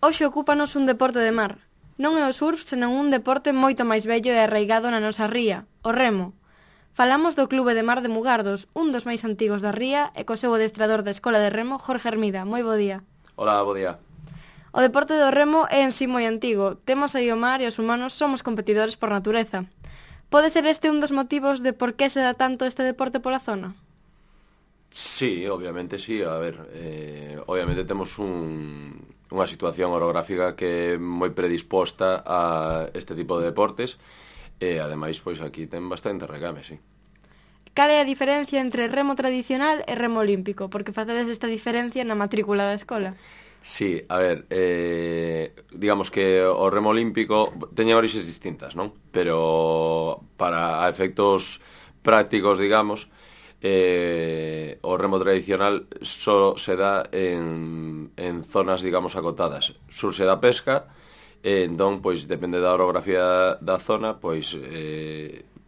Hoxe ocúpanos un deporte de mar. Non é o surf, senón un deporte moito máis vello e arraigado na nosa ría, o remo. Falamos do Clube de Mar de Mugardos, un dos máis antigos da ría, e co seu adestrador da Escola de Remo, Jorge Hermida. Moi bo día. Hola, bo día. O deporte do remo é en sí moi antigo. Temos aí o mar e os humanos somos competidores por natureza. Pode ser este un dos motivos de por que se dá tanto este deporte pola zona? Sí, obviamente sí. A ver, obviamente temos unha situación orográfica que é moi predisposta a este tipo de deportes e, ademais, pois aquí ten bastante recame, sí. Cal é a diferencia entre remo tradicional e remo olímpico? Porque facedes esta diferencia na matrícula da escola. Sí, a ver, digamos que o remo olímpico teña orixes distintas, non? Pero para efectos prácticos, digamos, o remo tradicional só se dá en zonas, digamos, acotadas. Surse da pesca, entón, pois, depende da orografía da zona, pois,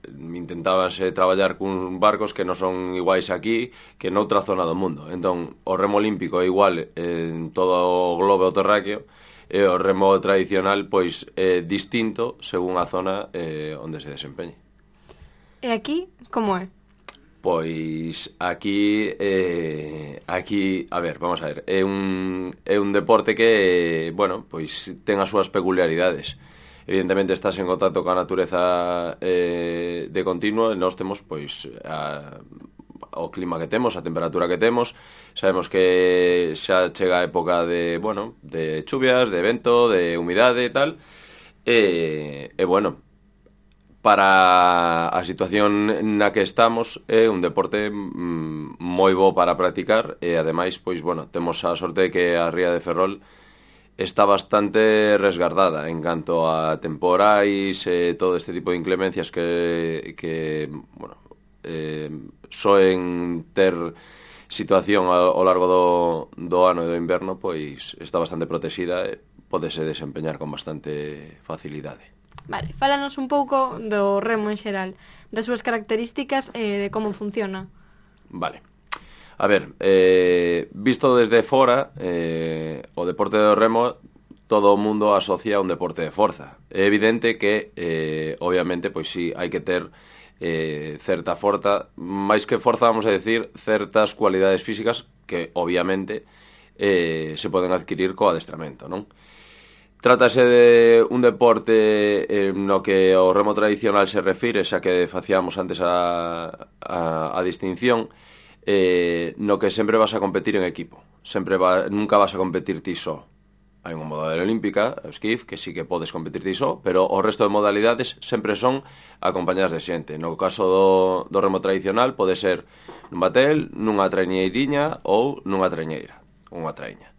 intentábanse traballar cuns barcos que non son iguais aquí que noutra zona do mundo. Entón, o remo olímpico é igual en todo o globo terráqueo e o remo tradicional, pois, é distinto según a zona onde se desempeñe. E aquí, como é? Pois aquí, a ver, vamos a ver, é un deporte que, bueno, pois ten as súas peculiaridades. Evidentemente estás en contacto coa natureza de continuo e nós temos, pois, o clima que temos, a temperatura que temos. Sabemos que xa chega a época de, bueno, de chuvias, de vento, de humidade e tal. E bueno, para a situación na que estamos é un deporte moi bo para practicar e, ademais, pois, bueno, temos a sorte de que a ría de Ferrol está bastante resguardada en canto a temporais e todo este tipo de inclemencias que bueno, soen ter situación ao largo do ano e do inverno, pois está bastante protexida e pódese desempeñar con bastante facilidade. Vale, fálanos un pouco do remo en xeral, das súas características e de como funciona. Vale. A ver, visto desde fora, o deporte do remo todo o mundo asocia a un deporte de forza. É evidente que, obviamente, pois sí, hai que ter certa forza, máis que forza, vamos a decir, certas cualidades físicas que, obviamente, se poden adquirir co adestramento, non? Trátase de un deporte no que o remo tradicional se refire, xa que facíamos antes a distinción, no que sempre vas a competir en equipo. Nunca vas a competir ti só. Hai unha modalidade olímpica, o esquif, que sí que podes competir ti só, pero o resto de modalidades sempre son acompañadas de xente. No caso do remo tradicional pode ser nun batel, nunha traiñeiriña ou nunha traiñeira, unha traiña.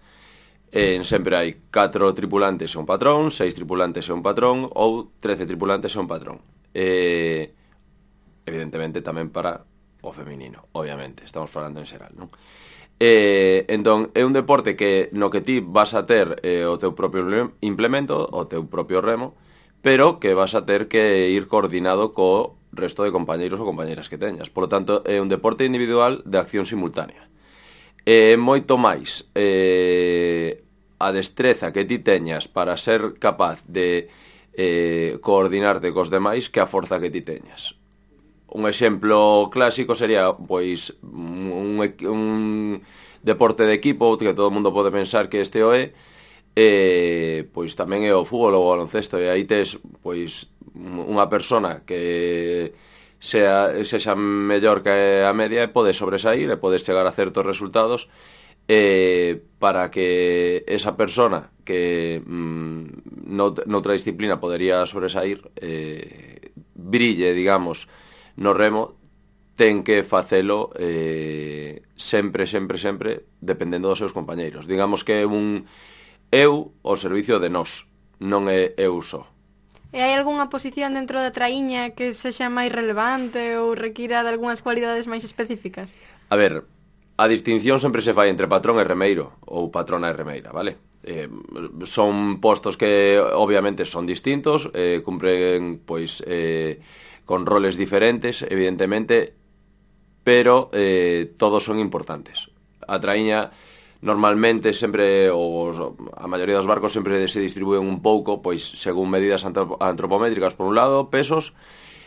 Sempre hai 4 tripulantes e un patrón, 6 tripulantes e un patrón ou 13 tripulantes e un patrón. Evidentemente tamén para o feminino, obviamente, estamos falando en xeral, non? Entón, é un deporte que no que ti vas a ter o teu propio implemento, o teu propio remo, pero que vas a ter que ir coordinado co resto de compañeiros ou compañeiras que teñas. Por lo tanto, é un deporte individual de acción simultánea. Moito máis a destreza que ti teñas para ser capaz de coordinarte cos demais que a forza que ti teñas. Un exemplo clásico sería, pois, un deporte de equipo que todo o mundo pode pensar que este o é, pois tamén é o fútbol ou o baloncesto, e aí tes, pois, unha persona que sexa mellor que a media e podes sobresair e podes chegar a certos resultados para que esa persona que noutra disciplina podería sobresair brille, digamos, no remo, ten que facelo sempre dependendo dos seus compañeiros. Digamos que é un eu ao servicio de nós, non é eu só. E hai algunha posición dentro da traíña que sexa máis relevante ou requira de algunhas cualidades máis específicas? A ver, a distinción sempre se fai entre patrón e remeiro, ou patrona e remeira, vale? Son postos que obviamente son distintos, cumpren, pois, con roles diferentes, evidentemente, pero todos son importantes. A traíña normalmente sempre a maioría dos barcos sempre se distribúen un pouco, pois según medidas antropométricas por un lado, pesos,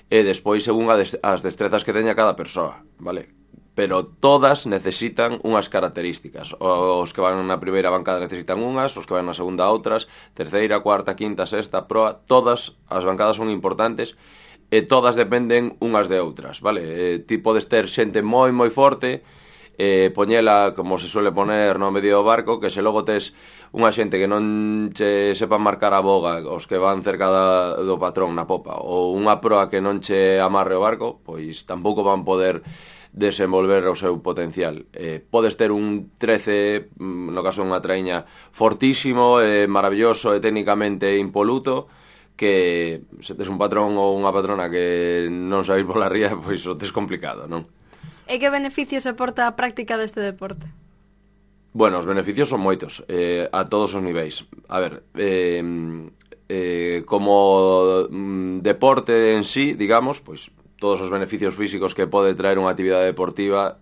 e despois según as destrezas que teña cada persoa, vale? Pero todas necesitan unhas características. Os que van na primeira bancada necesitan unhas, os que van na segunda outras, terceira, cuarta, quinta, sexta, proa, todas as bancadas son importantes e todas dependen unhas de outras, vale? Ti podes ter xente moi forte, poñela como se suele poner no medio do barco, que se logo tes unha xente que non che sepan marcar a boga, os que van cerca do patrón na popa, ou unha proa que non che amarre o barco, pois tampouco van poder desenvolver o seu potencial. Podes ter un 13, no caso unha traíña, fortísimo, maravilloso e técnicamente impoluto, que se tes un patrón ou unha patrona que non sabéis pola ría, pois o tes complicado, non? E que beneficios aporta a práctica deste deporte? Bueno, os beneficios son moitos, a todos os niveis. A ver, como deporte en sí, digamos, pois todos os beneficios físicos que pode traer unha actividade deportiva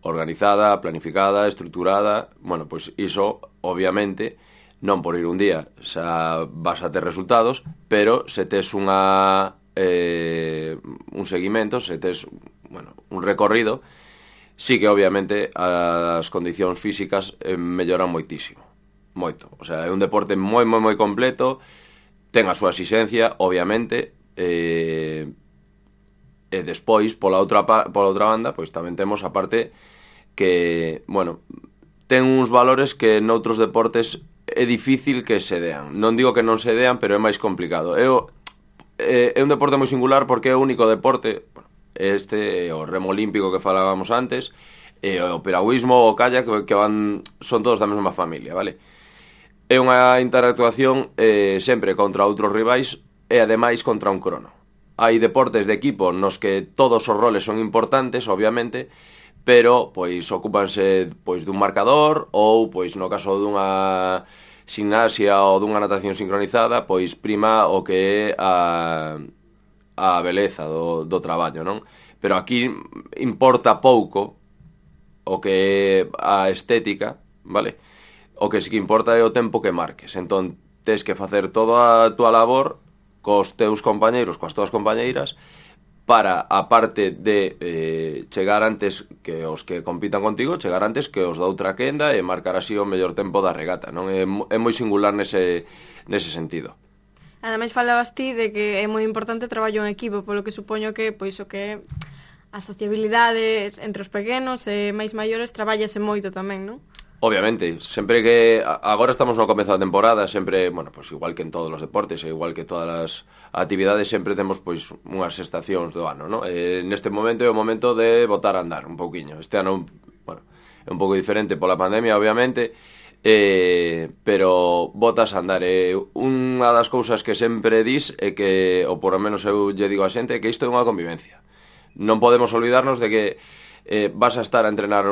organizada, planificada, estruturada, bueno, pois iso, obviamente, non por ir un día xa vas a ter resultados, pero se tes un seguimento, se tes un recorrido, sí que obviamente as condicións físicas melloran moitísimo, moito. O sea, é un deporte moi completo, ten a súa exigencia, obviamente, e despois, pola outra banda, pois tamén temos a parte que, bueno, ten uns valores que noutros deportes é difícil que se dean. Non digo que non se dean, pero é máis complicado. É un deporte moi singular porque é o único deporte, o remo olímpico que falábamos antes, e o piragüismo, o kayak, que son todos da mesma familia, vale? É unha interactuación sempre contra outros rivais e ademais contra un crono. Hai deportes de equipo nos que todos os roles son importantes, obviamente, pero pois ocúpanse pois dun marcador ou pois no caso dunha gimnasia ou dunha natación sincronizada, pois prima o que é a beleza do traballo, non? Pero aquí importa pouco o que é a estética, vale? O que sí que importa é o tempo que marques. Entón, tes que facer toda a túa labor cos teus compañeiros, coas túas compañeiras, para, a parte de chegar antes que os que compitan contigo, chegar antes que os da outra quenda e marcar así o mellor tempo da regata, non? É moi singular nese sentido. Ademais falabas ti de que é moi importante o traballo en equipo, polo que supoño que pois o que a sociabilidade entre os pequenos e máis maiores traballase moito tamén, non? Obviamente, sempre que agora estamos no comezo da temporada, sempre, bueno, pois igual que en todos os deportes, e igual que todas as actividades, sempre temos pois unhas estacións do ano, non? Neste momento é o momento de botar a andar un pouquiño. Este ano, bueno, é un pouco diferente pola pandemia, obviamente, pero botas a andar. Unha das cousas que sempre dis é que, ou por lo menos eu lle digo a xente, que isto é unha convivencia. Non podemos olvidarnos de que vas a estar a entrenar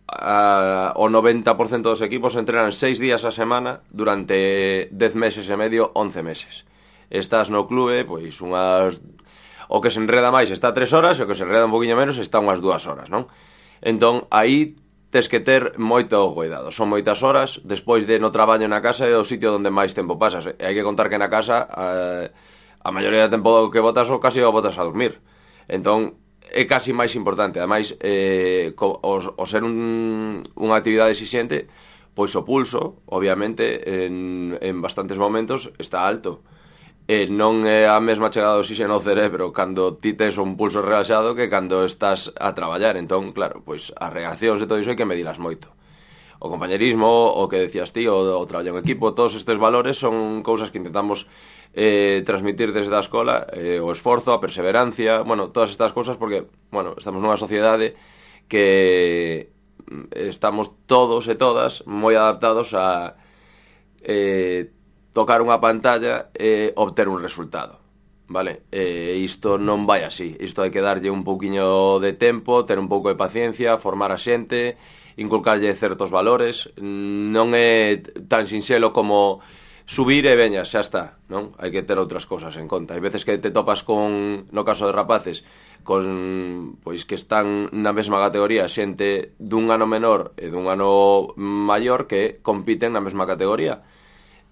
o 90% dos equipos entrenan 6 días a semana durante 10 meses e medio, 11 meses. Estás no clube, pois o que se enreda máis está 3 horas e o que se enreda un poquinho menos está unhas 2 horas, non? Entón, aí tes que ter moito cuidado. Son moitas horas, despois de no traballo na casa é o sitio onde máis tempo pasas. E hai que contar que na casa a maioría do tempo que botas o casi o botas a dormir. Entón, é casi máis importante. Ademais, o ser unha actividade exixente, pois o pulso, obviamente, en bastantes momentos está alto. Non é a mesma chegada do oxígeno ao cerebro cando ti tes un pulso relaxado que cando estás a traballar. Entón, claro, pois as reaccións e todo iso hai que medilas moito. O compañerismo, o que decías ti, o traballo en equipo, todos estes valores son cousas que intentamos transmitir desde a escola, o esforzo, a perseverancia, bueno, todas estas cousas, porque, bueno, estamos nunha sociedade que estamos todos e todas moi adaptados a tocar unha pantalla e obter un resultado, vale? Isto non vai así, isto hai que darlle un pouquiño de tempo, ter un pouco de paciencia, formar a xente, inculcarlle certos valores. Non é tan sinxelo como subir e veña, xa está, non? Hai que ter outras cousas en conta. Hai veces que te topas con, no caso de rapaces, con, pois que están na mesma categoría xente dun ano menor e dun ano maior que compiten na mesma categoría.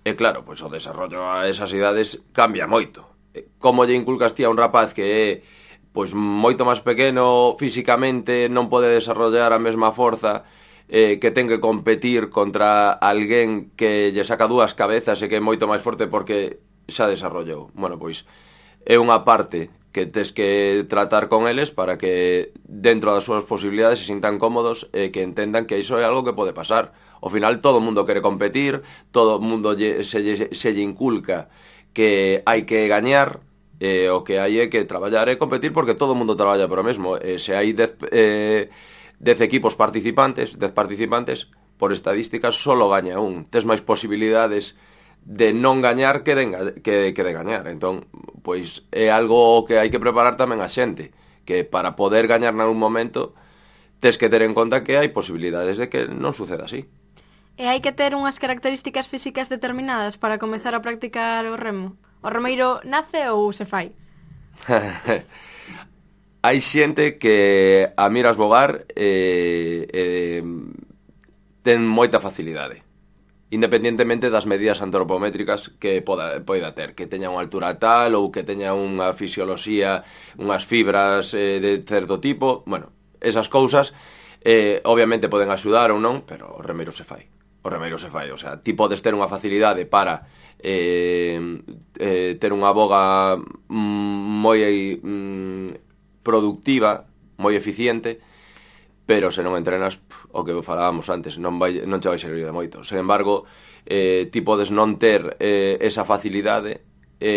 E claro, pois o desarrollo a esas idades cambia moito. Como lle inculcas ti a un rapaz que é pois moito máis pequeno físicamente, non pode desarrollar a mesma forza, que ten que competir contra alguén que lle saca dúas cabezas e que é moito máis forte porque xa desarrollou. Bueno, pois é unha parte que tes que tratar con eles para que dentro das súas posibilidades se sintan cómodos e que entendan que iso é algo que pode pasar. Ao final todo o mundo quere competir, todo o mundo se lle inculca que hai que gañar, o que hai é que traballar e competir porque todo o mundo traballa por o mesmo. Se hai 10 equipos participantes, 10 participantes, por estadísticas solo gaña un. Tes máis posibilidades de non gañar que de gañar. Entón, pois é algo que hai que preparar tamén a xente, que para poder gañar nalgún momento tes que ter en conta que hai posibilidades de que non suceda así. E hai que ter unhas características físicas determinadas para comezar a practicar o remo? O remeiro nace ou se fai? Hai xente que a miras bogar ten moita facilidade, independentemente das medidas antropométricas que poida ter, que teña unha altura tal ou que teña unha fisioloxía, unhas fibras de certo tipo. Bueno, esas cousas obviamente poden axudar ou non, pero o remeiro se fai. O remeiro se fai, o sea, ti podes ter unha facilidade para ter unha boga moi productiva, moi eficiente, pero se non entrenas, o que falábamos antes, non che vai servir de moito. Sen embargo, ti podes non ter esa facilidade,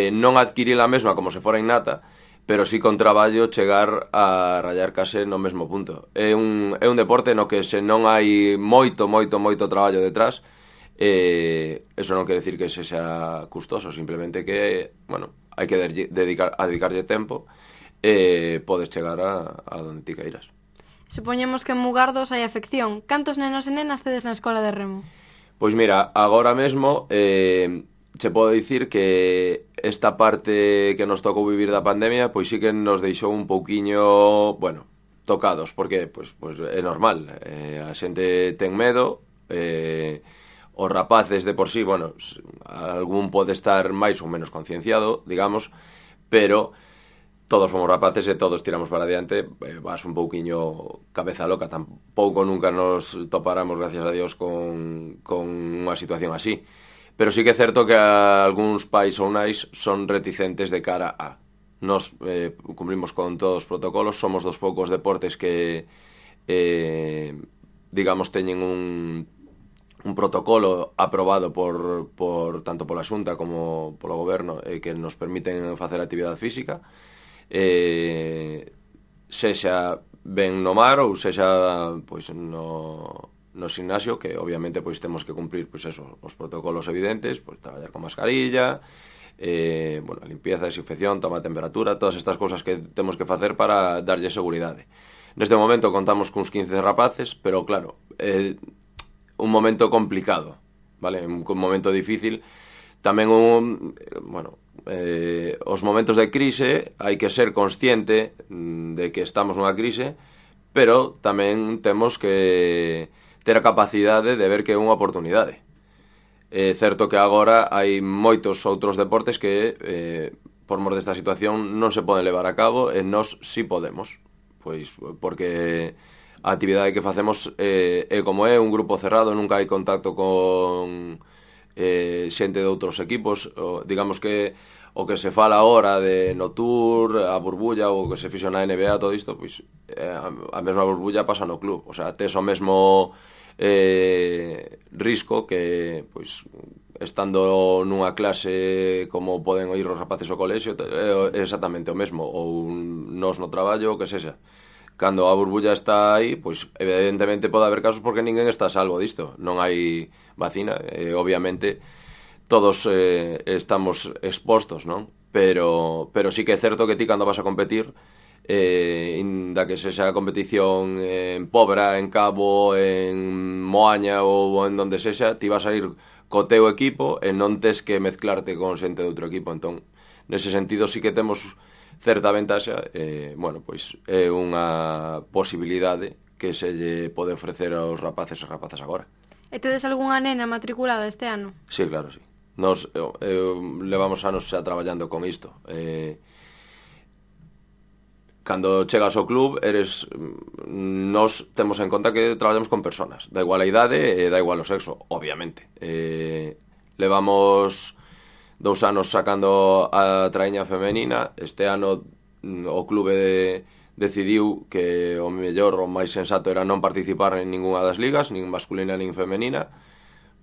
non adquirir a mesma como se fora innata, pero sí con traballo chegar a rayar case no mesmo punto. É un deporte no que se non hai moito traballo detrás, eso non quere decir que se xa custoso, simplemente que, bueno, hai que dedicarlle tempo e podes chegar a donde ti queiras. Supoñemos que en Mugardos hai afección. Cantos nenos e nenas tedes na escola de remo? Pois mira, agora mesmo che podo dicir que esta parte que nos tocou vivir da pandemia pois sí que nos deixou un pouquiño, bueno, tocados, porque pois é normal, a xente ten medo, os rapaces de por sí, bueno, algún pode estar máis ou menos concienciado, digamos, pero todos fomos rapaces e todos tiramos para adiante, vas un pouquiño cabeza loca, tampouco nunca nos toparamos, gracias a Dios, con unha situación así. Pero sí que é certo que algúns pais ou nais son reticentes de cara a. Nos cumprimos con todos os protocolos, somos dos poucos deportes que, digamos, teñen un protocolo aprobado por tanto pola Xunta como polo Goberno, que nos permiten facer actividade física, sexa ben no mar ou sexa pois no gimnasio, que obviamente pois temos que cumprir pois eso, os protocolos evidentes, pois traballar con mascarilla, bueno, a limpieza, desinfección, toma de temperatura, todas estas cousas que temos que facer para darlle seguridade. Neste momento contamos cuns 15 rapaces, pero claro, un momento complicado, vale? Un momento difícil. Tamén bueno, os momentos de crise hai que ser consciente de que estamos nunha crise, pero tamén temos que ter a capacidade de ver que é unha oportunidade. É certo que agora hai moitos outros deportes que, por mor desta situación, non se poden levar a cabo e nós sí podemos. Pois porque a actividade que facemos é como é, un grupo cerrado, nunca hai contacto con xente de outros equipos. Digamos que o que se fala ahora de no Tour, a burbulla, ou o que se fixo na NBA, todo isto, pois a mesma burbulla pasa no club. O sea, tes o mesmo risco que, pois, estando nunha clase como poden oír os rapaces ao colexio, é exactamente o mesmo, ou nos no traballo, o que sexa. Cando a burbulla está aí, pois evidentemente pode haber casos porque ninguén está a salvo disto. Non hai vacina, obviamente todos estamos expostos, non? Pero sí que é certo que ti cando vas a competir, inda que sexa a competición en Pobra, en Cabo, en Moaña ou en donde sexa, ti vas a ir co teu equipo e non tes que mezclarte con xente de outro equipo. Entón, nese sentido sí que temos certa ventaxa, bueno, pois é unha posibilidade que se lle pode ofrecer aos rapaces e rapazas agora. E tedes algunha nena matriculada este ano? Sí, claro, sí. Nos levamos anos xa traballando con isto. Cando chegas ao club, nos temos en conta que traballamos con personas. Da igual a idade e da igual o sexo, obviamente. Levamos 2 anos sacando a traíña femenina. Este ano o clube decidiu que o mellor, o máis sensato era non participar en ninguna das ligas, nin masculina nin femenina,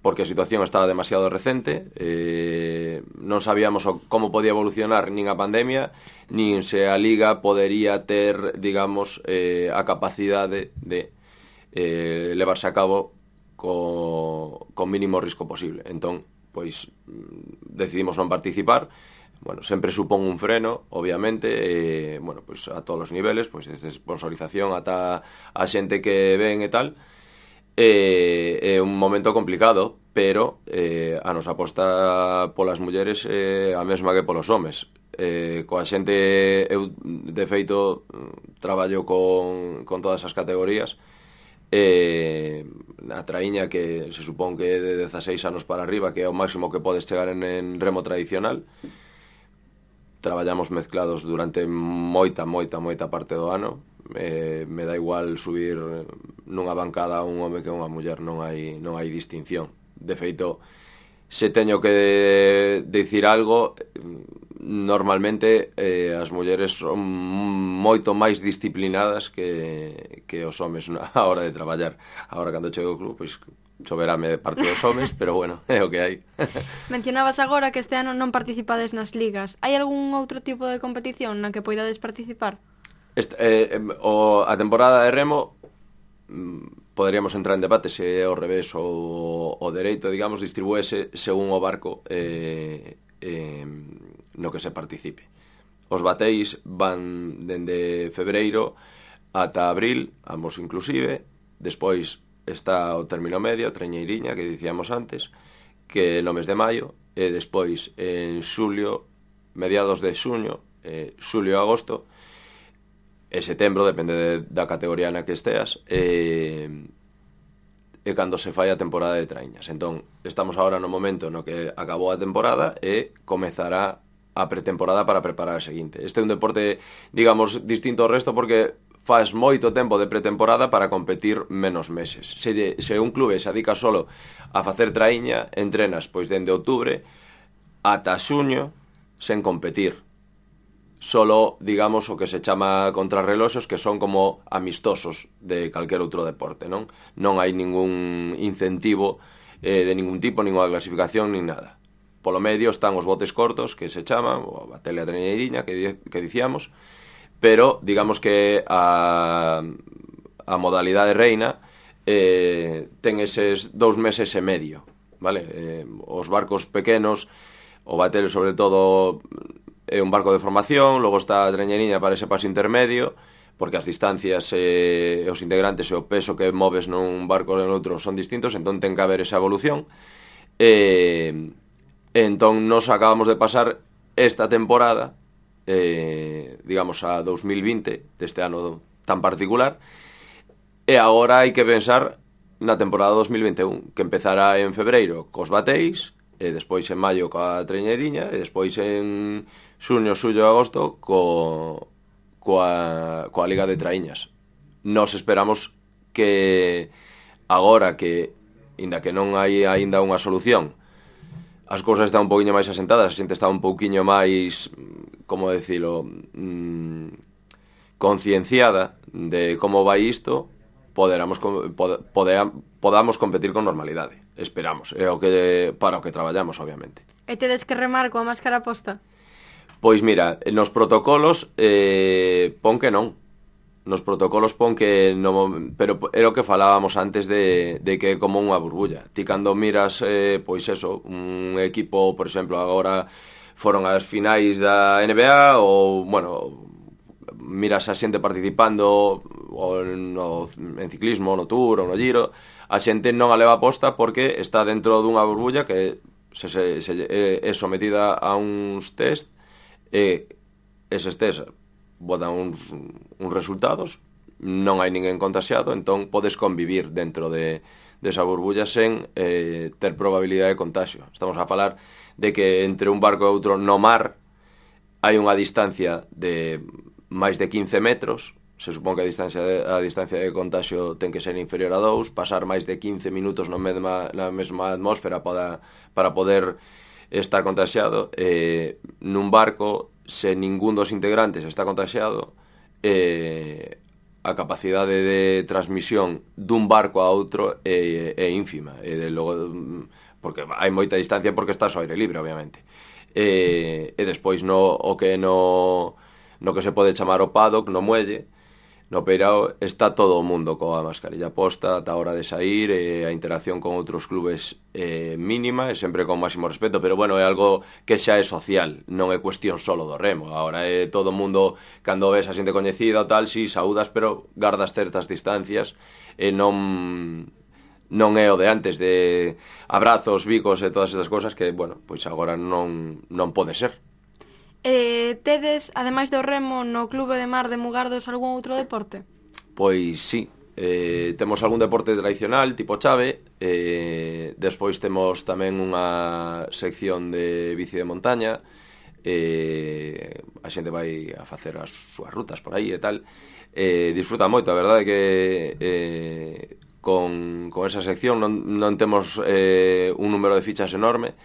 porque a situación estaba demasiado recente, non sabíamos como podía evolucionar nin a pandemia, nin se a liga podería ter, digamos, a capacidade de levarse a cabo co mínimo risco posible. Entón, pois decidimos non participar. Bueno, sempre supón un freno, obviamente, bueno, pois a todos os niveles, pois desde sponsorización ata a xente que ven e tal. É un momento complicado, pero a nosa aposta polas mulleres é a mesma que polos homes. Coa xente, eu de feito traballo con todas as categorías. A traíña, que se supón que é de 16 anos para arriba, que é o máximo que podes chegar en remo tradicional, traballamos mezclados durante moita parte do ano. Me dá igual subir nunha bancada a un home que a unha muller, non hai distinción. De feito, se teño que dicir algo, normalmente as mulleres son moito máis disciplinadas que os homes a hora de traballar. Agora, cando chego ao club, pois choverame de parte dos homes, pero bueno, é o que hai. Mencionabas agora que este ano non participades nas ligas. Hai algún outro tipo de competición na que poidades participar? A temporada de remo poderíamos entrar en debate se é ao revés ou o dereito, digamos, distribúese según o barco no que se participe. Os bateis van dende febreiro ata abril, ambos inclusive. Despois está o término medio, a trañeiriña, que dicíamos antes, que no mes de maio, e despois en xulio, mediados de xuño, xulio e agosto, e setembro, depende da categoría na que esteas, e cando se fai a temporada de traíñas. Entón, estamos agora no momento no que acabou a temporada e comezará a pretemporada para preparar a seguinte. Este é un deporte, digamos, distinto ao resto porque faz moito tempo de pretemporada para competir menos meses. Se un clube se adica solo a facer traíña, entrenas pois dende outubro ata xuño sen competir. Solo, digamos, o que se chama contrarreloxos, que son como amistosos de calquer outro deporte, non? Non hai ningún incentivo de ningún tipo, ninguna clasificación, nin nada. Polo medio están os botes cortos, que se chaman, ou a tele a trañeiriña, que dicíamos, pero digamos que a modalidade reina ten eses 2 meses e medio, vale? Os barcos pequenos, o batel sobre todo é un barco de formación, logo está a trañeiriña para ese paso intermedio, porque as distancias e os integrantes e o peso que moves nun barco e noutro son distintos, entón ten que haber esa evolución. Entón nos acabamos de pasar esta temporada, digamos a 2020, deste ano tan particular, e agora hai que pensar na temporada 2021, que empezará en febreiro cos bateis, e despois en maio coa trañeiriña, e despois en xuño, xullo e agosto coa Liga de Traíñas. Nos esperamos que agora que, inda que non hai aínda unha solución, as cousas están un poquinho máis asentadas, a xente está un pouquiño máis, como decilo, concienciada de como vai isto, podamos competir con normalidade. Esperamos, é o que para o que traballamos, obviamente. E tedes que remar coa máscara posta? Pois mira, nos protocolos pon que non. Nos protocolos pon que non, pero era o que falábamos antes de que é como unha burbulla. Ti cando miras, pois eso, un equipo, por exemplo, agora foron as finais da NBA ou, bueno, miras a xente participando en ciclismo, no Tour ou no Giro, a xente non a leva posta porque está dentro dunha burbulla que é sometida a uns test e eses test botan uns resultados, non hai ninguén contaxiado, entón podes convivir dentro desa burbulla sen ter probabilidade de contagio. Estamos a falar de que entre un barco e outro no mar hai unha distancia de máis de 15 metros. Se supón que a distancia de contagio ten que ser inferior a 2, pasar máis de 15 minutos na mesma atmósfera para poder estar contagiado. Nun barco, se ningún dos integrantes está contagiado, a capacidade de transmisión dun barco a outro é ínfima, porque hai moita distancia porque estás ao aire libre, obviamente. E despois o que se pode chamar o paddock, no muelle, no peirao, está todo o mundo coa mascarilla posta ata a hora de sair, a interacción con outros clubes mínima e sempre con máximo respeto, pero bueno, é algo que xa é social, non é cuestión solo do remo. Agora é todo o mundo, cando ves a xente coñecida ou tal, si saudas, pero gardas certas distancias e non é o de antes de abrazos, bicos e todas estas cosas que, bueno, pois agora non pode ser. Tedes, ademais do remo, no Clube de Mar de Mugardos algún outro deporte? Pois sí, temos algún deporte tradicional, tipo chave, despois temos tamén unha sección de bici de montaña, a xente vai a facer as súas rutas por aí e tal, disfruta moito, a verdade que con esa sección non temos un número de fichas enorme,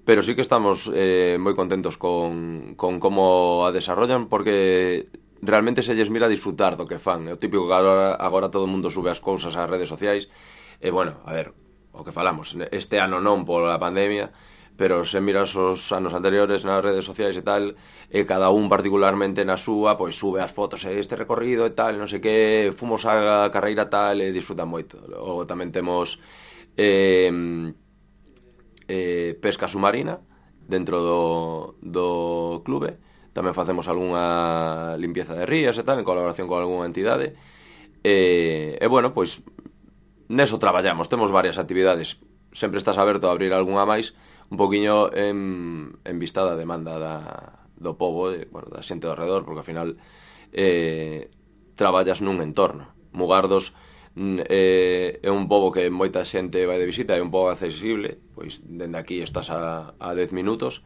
pero sí que estamos moi contentos con como a desarrollan, porque realmente se lles mira a disfrutar do que fan. É o típico que agora todo o mundo sube as cousas ás redes sociais, e bueno, a ver, o que falamos, este ano non pola pandemia, pero se miras os anos anteriores nas redes sociais e tal, e cada un particularmente na súa, pois sube as fotos, este recorrido e tal, non sei que, fomos a carreira tal, e disfrutan moito. Logo tamén temos pesca submarina dentro do clube. Tamén facemos algunha limpieza de rías e tal, en colaboración con algunha entidade, e bueno, pois neso traballamos, temos varias actividades, sempre estás aberto a abrir algunha máis, un poquinho en vista da demanda do pobo, da xente do alrededor, porque ao final traballas nun entorno. Mugardos é un pobo que moita xente vai de visita, é un pobo accesible, pois dende aquí estás a 10 minutos,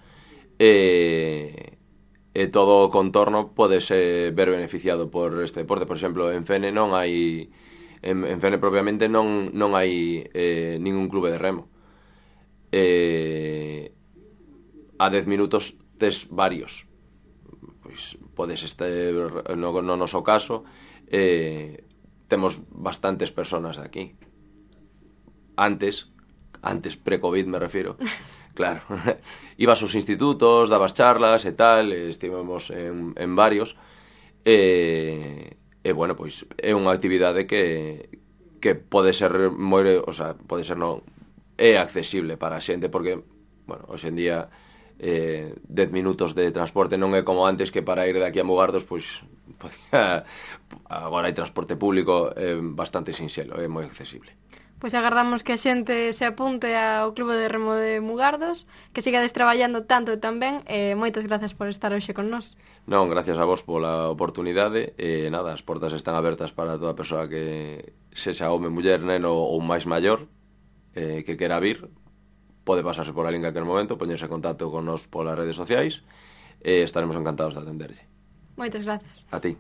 e todo o contorno podes ver beneficiado por este deporte. Por exemplo, en Fene non hai, en Fene propiamente non hai ningún clube de remo. A 10 minutos tes varios, pois podes estar no noso caso, temos bastantes personas de aquí. Antes pre-COVID me refiero, claro, ibas aos institutos, dabas charlas e tal, estivemos en varios, e bueno, pois é unha actividade que pode ser moi, o sea, pode ser non, é accesible para a xente, porque, bueno, hoxe en día 10 minutos de transporte non é como antes, que para ir de aquí a Mugardos, pois agora hai transporte público bastante sinxelo, é moi accesible. Pois agardamos que a xente se apunte ao Clube de Remo de Mugardos, que sigades traballando tanto e tan ben, e moitas gracias por estar hoxe con nós. Non, gracias a vos pola oportunidade, e nada, as portas están abertas para toda persoa que sexa home, muller, neno ou máis maior, que quera vir, pode pasarse por ali en calquer momento, poñerse en contacto con nos polas redes sociais, e estaremos encantados de atenderlle. Moitas gracias. A ti.